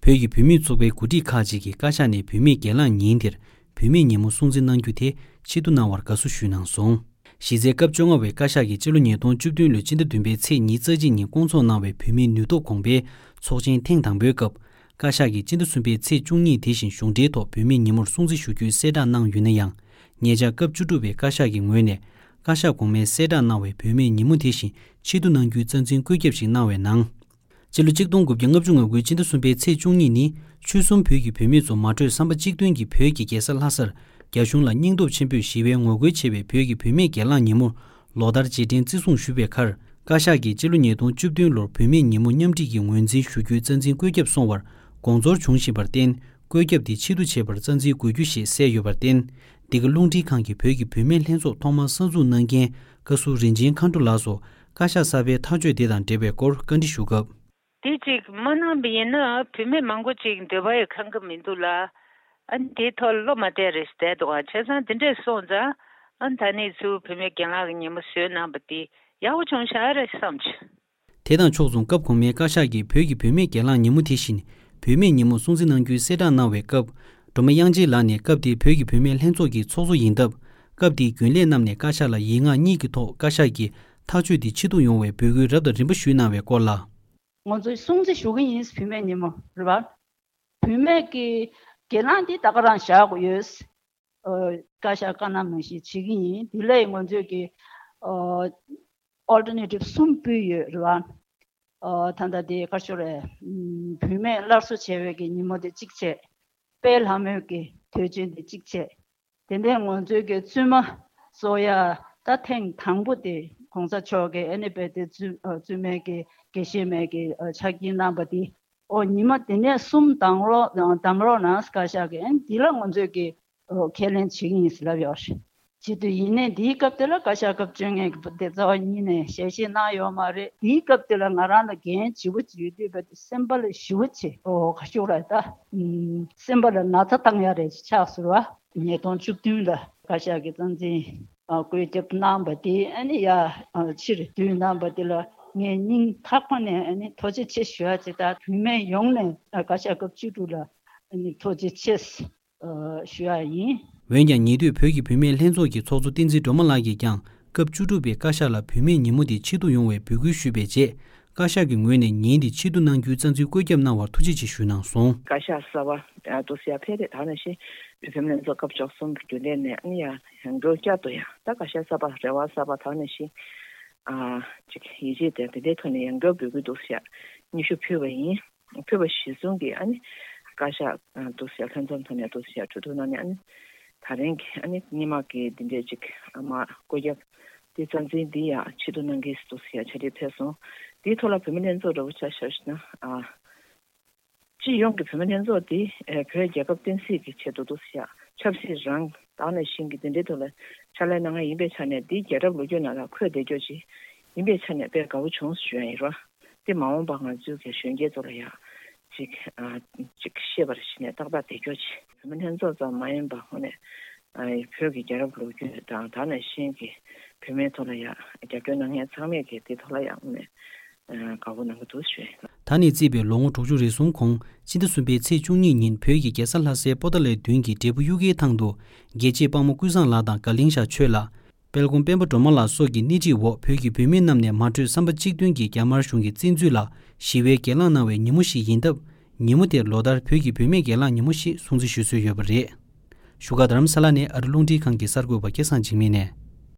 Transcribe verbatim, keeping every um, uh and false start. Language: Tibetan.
བོད་ཀྱི་བུད་མེད་ཚོགས་པའི་འགོ་ཁྲིད་ཁག་ཅིག་གིས་བཀའ་ཤག་ནས་བུད་མེད་སྒེར་ལངས་ཉིན་དེར་བུད་མེད་ཉིན་མོ་སྲུང་བརྩི་གནང་རྒྱུ་དེ་ཆེད་དུ་གནང་བར་དགའ་བསུ་ཞུས་གནང་སོང་། གཞི་རྩའི་སྐབས་བཅོ་ལྔ་བའི་བཀའ་ཤག་གིས་ཕྱི་ལོ་ཉིས་སྟོང་བཅུ་བདུན་ལོའི་སྤྱི་ཟླ་བདུན་པའི་ཚེས་ཉི་ཤུ་རྩ་གཅིག་ཉིན་བསྐོང་ཚོགས་གནང་བའི་བུད་མེད་ནུས་སྟོབས་གོང་སྤེལ་ཚོགས་ཆེན་ཐེངས་དང་པོའི་སྐབས། བཀའ་ཤག་གིས་སྤྱི་ཟླ་གསུམ་པའི་ཚེས་བཅུ་གཉིས་དེ་བཞིན་གཞུང་འབྲེལ་ཐོག་བུད་མེད་ཉིན་མོར་སྲུང་བརྩི་ཞུ་རྒྱུའི་གསལ་བསྒྲགས་གནང་ཡོད་ན་ཡང་། ཉེ་ཆར་སྐབས་བཅུ་དྲུག་པའི་བཀའ་ཤག་གི་ངོས་ནས། བཀའ་ཤག་གོང་མས་གསལ་བསྒྲགས་གནང་བའི་བུད་མེད་ཉིན་མོ་དེ་བཞིན་ཆེད་དུ་གནང་རྒྱུའི་རྩ་འཛིན་བཀོད་ཁྱབ་ཞིག་གནང་བའི་ནང་། སྤྱི་ལོ་གཅིག་སྟོང་དགུ་བརྒྱ་ལྔ་བཅུ་ང་དགུའི་སྤྱི་ཟླ་གསུམ་པའི་ཚེས་བཅུ་གཉིས་ནི། ཆོལ་གསུམ་བོད་ཀྱི་བུད་མེད་ཚོ་མ་གྲོས་བསམ་པ་གཅིག་མཐུན་གྱིས་བོད་ཀྱི་རྒྱལ་ས་ལྷ་སར། རྒྱ་གཞུང་ལ་སྙིང་སྟོབས་ཆེན་པོས་ཞི་བའི་ངོ་རྒོལ་བྱས་པའི་བོད་ཀྱི་བུད་མེད་སྒེར་ལངས་ཉིན་མོར། ལོ་ལྟར་རྗེས་དྲན་བརྩི་སྲུང་ཞུ་བའི་ཁར། བཀའ་ཤག་གིས་སྤྱི་ལོ་ཉིས་སྟོང་བཅུ་བདུན་ལོར་བུད་མེད་ཉིན་མོ་མཉམ་སྒྲིག་གི་ངོས་འཛིན་ཞུ་རྒྱུའི་རྩ་འཛིན་བཀོད་ཁྱབ་སོང་བར་དགོངས་ཚོར་བྱུང་བཞིན་པར་བརྟེན། བཀོད་ཁྱབ་དེ་ཕྱིར་བསྡུ་བྱེད་པར་རྩ་འཛིན་དགོས་རྒྱུ་ཞེས་གསལ་ཡོད་པར་བརྟེན། འདི་ག་རླུང་འཕྲིན་ཁང་གིས་བོད་ཀྱི་བུད་མེད་ལྷན་ཚོགས་ཐོག་མར་གསར་འཛུགས་གནང་མཁན་བཀའ་ཟུར་རིན་ཆེན་མཁའ་འགྲོ་ལགས་སུ་བཀའ་ཤག་གསར་པའི་ཐག་གཅོད་དེ་དང་འབྲེལ་བའི་སྐོར་བཀའ་འདྲི་ཞུ་སྐབས། དེ་གཅིག་མ་གནང་བ་ཡིན་ན་བུད་མེད་མང་པོ་ཅིག་འདོད་པ་ཡི་ཁེངས་ཀྱི་མི་འདུག་ལ། ཨ་ནི་དེའི་ཐོག་བློ་མ་གཏད་རེ་བསྡད་འདུག་ཨ། བྱས་ཙང་དེ་འདྲས་སོང་ཙང་ཨ་ནི་ད་ནི་ཚུར་བུད་མེད་སྒེར་ལངས་ཀྱི་ཉིན་མོ་བཟོས་གནང་བ་དེ་ཡག་པོ་བྱུང་ཤག་རེད་བསམ་བྱུང་། དེ་དང་ཕྱོགས་མཚུངས་སྐབས་གོང་མའི་བཀའ་ཤག་གིས་བོད་ཀྱི་བུད་མེད་སྒེར་ལངས་ཉིན་མོ་དེ་བཞིན་བུད་མེད་ཉིན་མོ་སྲུང་བརྩི་གནང་རྒྱུའི་གསལ་བསྒྲགས་གནང་བའི་སྐབས། སྒྲོལ་མ་དབྱངས་ཅན་ལགས་ནས་སྐབས་དེའི་བོད་ཀྱི་བུད་མེད་ལྷན་ཚོགས་ཀྱི་ཚོགས་གཙོ་ཡིན་སྟབས། སྐབས་དེའི་རྒྱུན་ལས་རྣམས་ནས་བཀའ་ཤག་ལ་ཡིག་ངག་གཉིས་ཀྱི་ཐོག་བཀའ་ཤག་གིས་ཐག་གཅོད་དེ་ཕྱིར་བསྡུ་ཡོང་བའི་འབོད་སྐུལ་རབ་དང་རིམ་པ་ཞུས་གནང་བའི་སྐོར་ལ། ང་ཚོས་སྲུང་བརྩི་ཞུ་གི་ཡིན་བུད་མེད་ཉིན་མོ་རེད་བ། བུད་མེད་ཀྱི་སྒེར་ལངས་འདི་ད་ག་རང་བཞག་དགོས་ཡོད། ཨ། བཀའ་ཤག་བཀའ་གནང་ནང་བཞིན་བྱེད་ཀྱི་ཡིན། དེ་ལས་ང་ཚོས་ཀྱི་ཨ་ཨོལ་ཊར་ནེ་ཊིབ་གསུམ་ཕུལ་ཡོད་རེད་བ། ཨ། ད་ལྟ་དེ་ག་རེ་ཞུ་རེད། ཨམ། བུད་མེད་སླར་གསོ་བྱ་བའི་གི་ཉིན་མོ་དེ་གཅིག་བྱས། དཔལ་ལྷ་མོའི་གི་དུས་ཆེན་དེ་གཅིག་བྱས། དེ་ནས་ང་ཚོའི་གི་བཙུན་མ་གསོ་ཡ་ད་ཐེངས་དང་པོ་དེ་གོང་ས་མཆོག་གིས་ཨ་ནི་རྦད་དེ་བཙུན་ཨ་བཙུན་མའི་གི་དགེ་བཤེས་མའི་གི་ཨ་ཕྱག་འཁྱེར་གནང་བ་དེ། ཨོ་ཉི་མ་དེ་ནས་གསུམ་གདམ་རོགས་གདམ་རོགས་གནང་བཀའ་ཤག་གིས། ཨ་ནི་དེ་ལ་ང་ཚོས་གི་ཨོ་ཁས་ལེན་བྱེད་ཀྱི་ཡིན་ཟེར་ལབ་ཡོད་རེད། བྱེད་དུས་ཡིན་ནའི་འདིའི་སྐབས་དེ་ལ་བཀའ་ཤག་སྐབས་བཅོ་ལྔའི་གི་དེ་རྩ་བ་ཉིད་ནས་ཞལ་བཞེས་གནང་ཡོད་མ་རེད། དེའི་སྐབས་དེ་ལ་ང་རང་ལ་འགན་ལྗིད་པོ་ཅིག་ཡོད་དུས་རྦད་དེ་སེམས་པ་ལ་ཞེ་པོ་ཅིག་ཨོ་ག་རེ་ཞུ་རེད་ད། ཨམ། སེམས་པ་ལ་ན་ཚ་བཏང་ཡ་རེ་ཆགས་སོང་བ། ཉིས་སྟོང་བཅུ་བདུན་ལ་བཀའ་ཤག་གི་རྩ་འཛིན་ཨ་བཀོད་ཁྱབ་གནང་བ་དེ་ཨ་ནི་ཡ་ཨ་ཕྱིར་བསྡུ་གནང་བ་དེ་ལ་ངས་སྙིང་ཐག་པ་ནས་ཨ་ནི་ཐུགས་རྗེ་ཆེ་ཞུ་ཡ་ཅིག་དང་། བུད་མེད་ཡོངས་ནས་ཨ་བཀའ་ཤག་སྐབས་བཅུ་དྲུག་ལ་ཨ་ནི་ཐུགས་རྗེ་ཆེ་ཨ་ཞུ་ཡ་ཡིན། འོན་ཀྱང་ཉེ་དུས་བོད་ཀྱི་བུད་མེད་ལྷན་ཚོགས་ཀྱི་ཚོགས་གཙོ་བསྟན་འཛིན་སྒྲོལ་མ་ལགས་ཀྱིས་ཀྱང་སྐབས་བཅུ་དྲུག་པའི་བཀའ་ཤག་ལ་བུད་མེད་ཉིན་མོ་དེ་ཆེད་དུ་ཡོང་བའི་འབོད་སྐུལ་ཞུས་པའི་རྗེས། བཀའ་ཤག་གི་ངོས་ནས་ཉིན་དེ་ཆེད་དུ་གནང་རྒྱུའི་རྩ་འཛིན་བཀོད་ཁྱབ་གནང་བར་ཐུགས་རྗེ་ཆེ་ཞུས་གནང་སོང་། བཀའ་ཤག་གསར་པ་འདུག་སེ་ཡ་ཕེབས་རེད། ད་ནང་བཞིན་བོད་བུད་མེད་ལྷན་ཚོགས་སྐབས་བཅུ་གསུམ་རྒྱུན་ལས་ནས་ཨ་ནི་ཡ་ཡང་བསྐྱར་བསྐྱར་དུ་ཡ་ད་བཀའ་ཤག་གསར་པ་རེ་བ་གསར་པ་ད་ནང་བཞིན་ཨ་ཅིག་ཡིད་ཆེས་དེ་དེ་འདྲའི་ཐོག་ནས་ཡང་བསྐྱར་འབོད་སྐུལ་འདུག་སེ་ཡ་སྙན་ཞུ་ཕུལ་བ་ཡིན། ཕུལ་བ་གཞིར་བཟུང་གིས་ཨ་ནི་བཀའ་ཤག་འདུག་སེ་ཡ་ལྷན་ཚོགས་ཐོག་ནས་འདུག་སེ་ཡ་གྲོས་བསྡུར་གནང་ནས་ཨ་ནི་ད་རིང་གི་ཨ་ནི་སྔོན་མ་གི་འདི་འདྲའི་ཅིག་ཨ་མ་བཀོད་ཁྱབ་དེ་རྩ་འཛིན་འདི་ཡ་ཆེད་དུ་གནང་གི་འདུག་སེ་ཡ་ཕྱག་ལས་ཕེབས་སོང་། དེའི་ཐོག་ལ་བུད་མེད་ལྷན་ཚོགས་འདྲ་བོ་ཆ་བཞག་ན་ཨ། སྤྱི་ཡོངས་ཀྱི་བུད་མེད་ལྷན་ཚོགས་འདི་ཨེ་བོད་རྒྱལ་ཁབ་བསྟན་སྲིད་ཀྱི་ཆེད་དུ་འདུག་སེ་ཡ་ཆབ་སྲིད་རང་ད་ནང་བཞིན་གྱི་འདི་འདྲའི་ཐོག་ལ་ཕྱག་ལས་གནང་མཁན་ཡིན་པའི་ཆ་ནས་འདི་རྒྱལ་རབས་ལོ་རྒྱུས་ནང་ལ་འཁོད་བསྡད་རྒྱུ་ཅིག་ཡིན་པའི་ཆ་ནས་དཔེ་དགའ་བོ་བྱུང་ཞུ་ཡ་ཡིན་རོ། འདི་མ་འོངས་པ་ང་ཚོའི་གི་གཞོན་སྐྱེས་ཚོ་ལ་ཡ་ཅིག་ཨ་ཅིག་ཤེས་པར་བྱས་ནས་ཏག་ཏག་བསྡད་རྒྱུ་ཅིག་བུད་མེད་ལྷན་ཚོགས་ཙམ་མ་ཡིན་པ་ཧོ་ནས་ཨ་བོད་ཀྱི་རྒྱལ་རབས་ལོ་རྒྱུས་དང་ད་ནང་བཞིན་གྱི་བུད་མེད་ཐོག་ལ་ཡ་རྒྱབ་སྐྱོར་གནང་མཁན་ཚང་མས་གི་དེ་ཐོག་ལ་ཡ་ཧོ་ནས། ཨ་དགའ་པོ་གནང་གི་འདུག་ཞུས། ད་ནས་བརྩིས་པའི་ལོ་ངོ་དྲུག་ཅུ་རེ་ཟུང་གོང་སྤྱི་ཟླ་གསུམ་པའི་ཚེས་བཅུ་གཉིས་ཉིན་བོད་ཀྱི་རྒྱལ་ས་ལྷ་སའི་པོ་ཏཱ་ལའི་མདུན་གྱི་འབྲས་བུ་གཡུ་ཁའི་ཐང་དུ། རྒྱལ་གཅེས་དཔའ་མོ་ཀུན་བཟང་ལགས་དང་དགའ་གླིང་ཤག་ཆོས་ལགས། དཔལ་མགོན་སྤེན་པ་སྒྲོལ་མ་ལགས་སོགས་ཀྱི་སྣེ་ཁྲིད་འོག་བོད་ཀྱི་བུད་མེད་རྣམས་ནས་མ་གྲོས་བསམ་པ་གཅིག་མཐུན་གྱིས་རྒྱ་དམར་གཞུང་གི་བཙན་འཛུལ་ལ་ཞི་བའི་སྒེར་ལངས་གནང་བའི་ཉིན་མོ་ཞིག་ཡིན་སྟབས། ཉིན་མོ་དེར་ལོ་ལྟར་བོད་ཀྱི་བུད་མེད་སྒེར་ལངས་ཉིན་མོ་ཞེས་སྲུང་བརྩི་ཞུ་སྲོལ་ཡོད་པ་རེད། བཞུགས་སྒར་རྡ་རམ་ས་ལ་ནས་ཨ་རི་རླུང་འཕྲིན་ཁང་གི་གསར་འགོད་པ་སྐལ་བཟང་འཇིགས་མེད་ནས།